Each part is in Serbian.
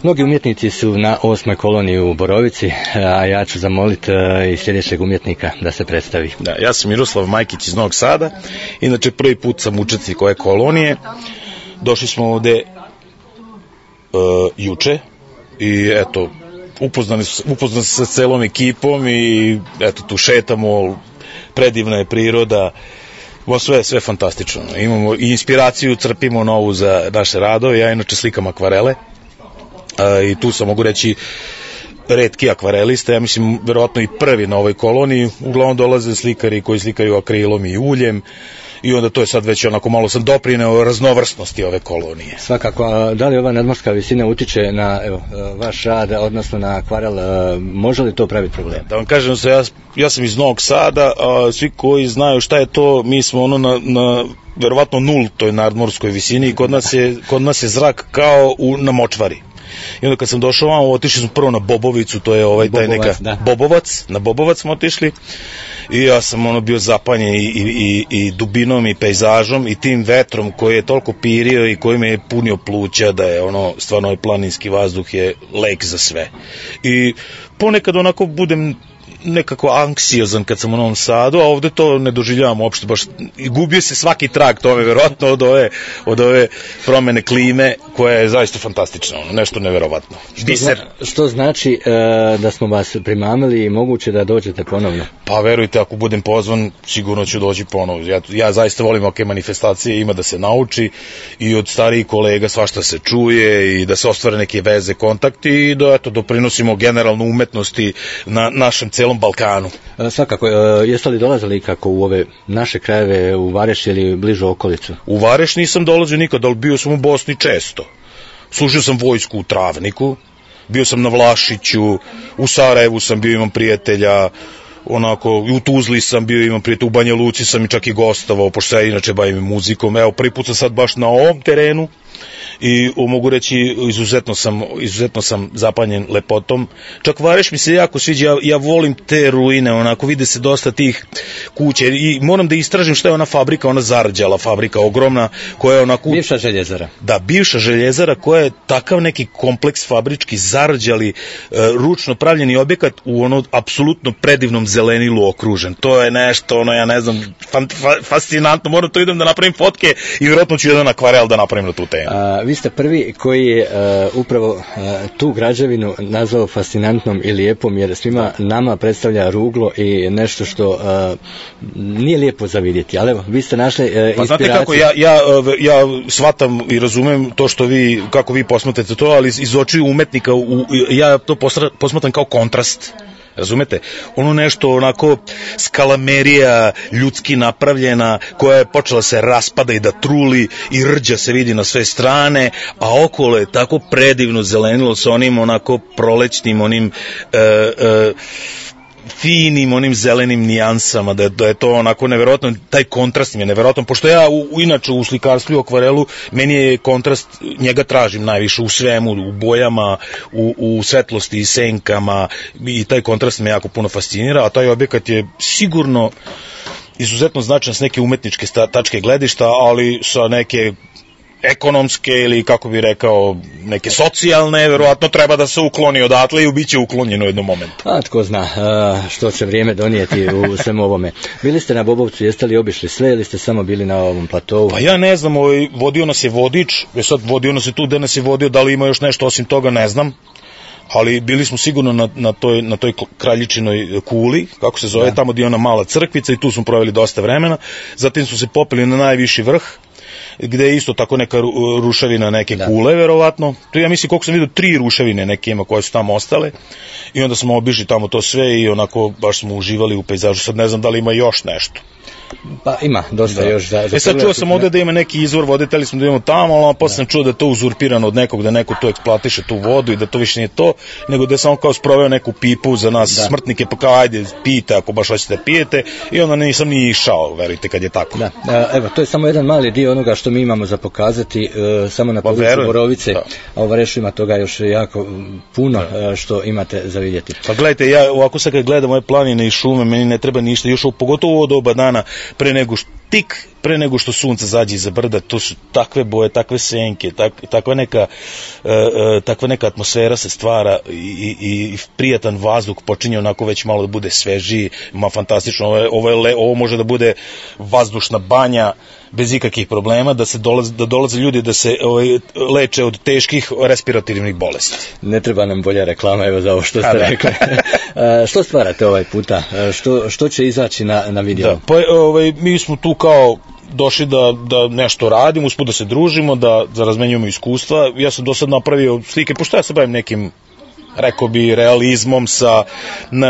Mnogi umjetnici su na 8. koloniji u Borovici, a ja ću zamoliti i sljedećeg umjetnika da se predstavi. Da, ja sam Miroslav Majkić iz Novog Sada, inače prvi put sam učesnik ove kolonije. Došli smo ovde juče i eto, upoznali se sa celom ekipom i eto, tu šetamo, predivna je priroda, sve fantastično. Imamo i inspiraciju, crpimo novu za naše radove, ja inače slikam akvarele i tu sam, mogu reći, retki akvarelista, ja mislim verovatno i prvi na ovoj koloniji, uglavnom dolaze slikari koji slikaju akrilom i uljem i onda to je sad već onako malo sam doprineo raznovrsnosti ove kolonije. Svakako, a da li ova nadmorska visina utiče na vaš rad, odnosno na akvarel, može li to praviti problem? Da vam kažem se, ja sam iz Novog Sada, a svi koji znaju šta je to, mi smo na verovatno nultoj nadmorskoj visini i kod nas je zrak kao na močvari. I onda kad sam došao vamo, otišli smo prvo na Bobovicu, to je taj neka Bobovac, na Bobovac smo otišli i ja sam bio zapanjen i dubinom i pejzažom i tim vetrom koji je toliko pirio i koji me je punio pluća da je stvarno ovaj planinski vazduh je lek za sve. I ponekad onako budem nekako anksiozan kad sam u Novom Sadu, a ovde to ne doživljavam uopšte, baš gubio se svaki trag tome, verovatno od ove promene klime koja je zaista fantastična, nešto neverovatno. Što znači da smo vas primamili i moguće da dođete ponovno? Pa verujte, ako budem pozvan, sigurno ću doći ponovno. Ja zaista volim ovake manifestacije, ima da se nauči i od starijih kolega svašta se čuje i da se ostvare neke veze, kontakti i da doprinosimo generalno umetnosti na našem celom Balkanu. Svakako, jeste li dolazili kako u ove naše krajeve, u Vareš ili bližu okolicu? U Vareš nisam dolazio nikad, ali bio sam u Bosni često. Služio sam vojsku u Travniku, bio sam na Vlašiću, u Sarajevu sam bio, imam prijatelja, u Tuzli sam bio, imam prijatelja, u Banja Luci sam i čak i gostovao, pošto ja inače bavim muzikom. Evo, prvi put sam sad baš na ovom terenu i mogu reći izuzetno sam zapanjen lepotom. Čak Vareš mi se jako sviđa, ja volim te ruine, vide se dosta tih kuća i moram da istražim šta je ona fabrika, ona zarđala fabrika ogromna koja je onako... Bivša željezara. Da, bivša željezara koja je takav neki kompleks fabrički zarđali, ručno pravljeni objekat u apsolutno predivnom zelenilu okružen. To je nešto, ja ne znam, fascinantno, moram to idem da napravim fotke i vjerojatno ću jedan akvarel da napravim na tu temu. Vi ste prvi koji je upravo tu građevinu nazvao fascinantnom i lijepom, jer svima nama predstavlja ruglo i nešto što nije lijepo za vidjeti, ali evo, vi ste našli inspiraciju. Pa znate kako, ja shvatam i razumem to kako vi posmatrate to, ali iz očiju umetnika ja to posmatram kao kontrast. Razumete? Nešto onako skalamerija ljudski napravljena koja je počela se raspada i da truli i rđa se vidi na sve strane, a okolo je tako predivno zelenilo sa onim onako prolećnim, onim finim, onim zelenim nijansama, da je to onako neverovatno, taj kontrast mi je neverovatno, pošto ja inače u slikarstvu i akvarelu, meni je kontrast, njega tražim najviše u svemu, u bojama, u svetlosti i senkama i taj kontrast me jako puno fascinira, a taj objekat je sigurno izuzetno značajan s neke umetničke tačke gledišta, ali sa neke ekonomske ili, kako bih rekao, neke socijalne, verovatno treba da se ukloni odatle i bit će uklonjeno u jednom momentu. A tko zna što će vrijeme donijeti u svemu ovome. Bili ste na Bobovcu, jeste li obišli sve ili ste samo bili na ovom platovu? Pa ja ne znam, vodio nas je vodič, vodio nas je tu gde nas je vodio, da li ima još nešto osim toga, ne znam. Ali bili smo sigurno na toj Kraljičinoj kuli, kako se zove, tamo gdje je ona mala crkvica i tu smo proveli dosta vremena. Zatim smo se popeli na najviši vrh, gde je isto tako neka ruševina, neke kule, verovatno. To ja mislim, koliko sam vidio, 3 ruševine neke ima koje su tamo ostale. I onda smo obišli tamo to sve i onako baš smo uživali u pejzažu. Sad ne znam da li ima još nešto. Pa ima dosta još za sad čuo sam ovde da ima neki izvor vode, teli smo da imamo tamo, ali posle sam čuo da je to uzurpirano od nekog, da neko tu eksploatiše tu vodu i da to više nije to, nego da je samo kao sproveo neku pipu za nas smrtnike, pa kao ajde pijte ako baš hoćete da pijete, i onda nisam ni išao, verujte, kad je tako. Da, evo, to je samo jedan mali dio onoga što mi imamo za pokazati, samo na području Borovice, a u Varešu ima toga još jako puno što imate za vidjeti. Pa gledajte, ja ovako sad kad gledam ove planine i šume, meni ne treba ništa, još pogotovo ovo doba dana, pre nego tik pre nego što sunce zađe iza brda, to su takve boje, takve senke, takva neka atmosfera se stvara i prijatan vazduh počinje onako već malo da bude svežiji, fantastično, ovo može da bude vazdušna banja bez ikakvih problema, da dolaze ljudi da se leče od teških respiratornih bolesti. Ne treba nam bolja reklama, evo za ovo što ste rekli. Što stvarate ovaj puta? Što će izaći na video? Da, pa mi smo tu kao došli da nešto radimo, usput da se družimo, da razmenjujemo iskustva. Ja sam do sad napravio slike, pošto ja se bavim nekim, rekao bi, realizmom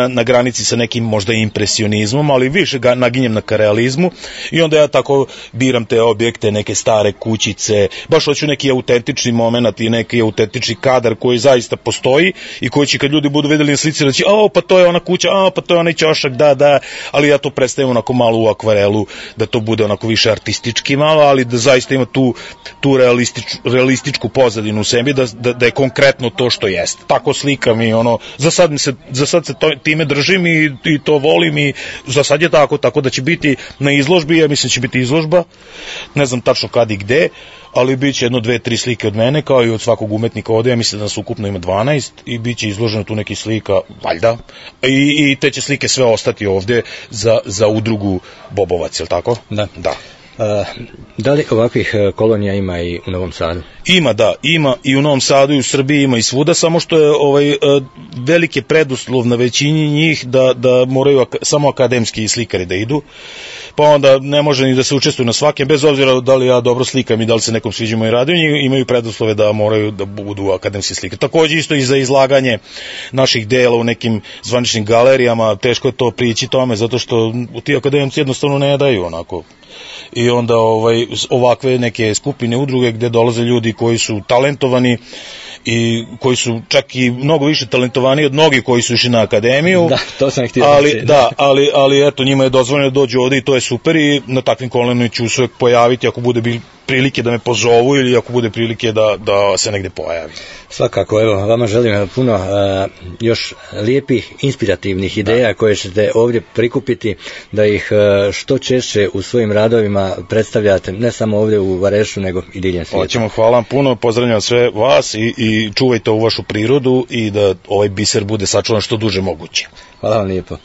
na granici sa nekim možda impresionizmom, ali više ga naginjem na realizmu i onda ja tako biram te objekte, neke stare kućice, baš hoću neki autentični moment i neki autentični kadar koji zaista postoji i koji će kad ljudi budu videli na slici reći, pa to je ona kuća, pa to je onaj ćošak, da, ali ja to predstavim onako malo u akvarelu, da to bude onako više artistički malo, ali da zaista ima tu realističku pozadinu u sebi, da je konkretno to što jeste. Tako slikam i za sad se time držim i to volim i za sad je tako da će biti na izložbi, ja mislim da će biti izložba, ne znam tačno kad i gde, ali bit će 1, 2, 3 slike od mene, kao i od svakog umetnika ovde, ja mislim da nas ukupno ima 12 i bit će izloženo tu neki slika, valjda, i te će slike sve ostati ovde za udrugu Bobovac, je li tako? Da. Da li ovakvih kolonija ima i u Novom Sadu? Ima i u Novom Sadu i u Srbiji, ima i svuda, samo što je veliki preduslov na većini njih da moraju samo akademski slikari da idu, pa onda ne može ni da se učestvuju na svakem, bez obzira da li ja dobro slikam i da li se nekom sviđa moji radovi, imaju preduslove da moraju da budu akademski slikari. Takođe isto i za izlaganje naših dela u nekim zvaničnim galerijama, teško je to prići tome, zato što ti akademci jednostavno ne daju onako. I onda ovakve neke skupine, udruge gde dolaze ljudi koji su talentovani i koji su čak i mnogo više talentovani od mnogih koji su išli na akademiju. Da, to sam htio reći. Ali eto, njima je dozvoljeno da dođu ovde i to je super i na takvim kolonijama ću se pojaviti ako bude prilike da me pozovu ili ako bude prilike da se negde pojavi. Svakako, evo, vama želim puno još lijepih, inspirativnih ideja koje ćete ovdje prikupiti, da ih što češće u svojim radovima predstavljate, ne samo ovdje u Varešu, nego i diljem svijeta. Hoćemo, hvala vam puno, pozdravljam sve vas i čuvajte ovu vašu prirodu i da ovaj biser bude sačuvan što duže moguće. Hvala vam lijepo.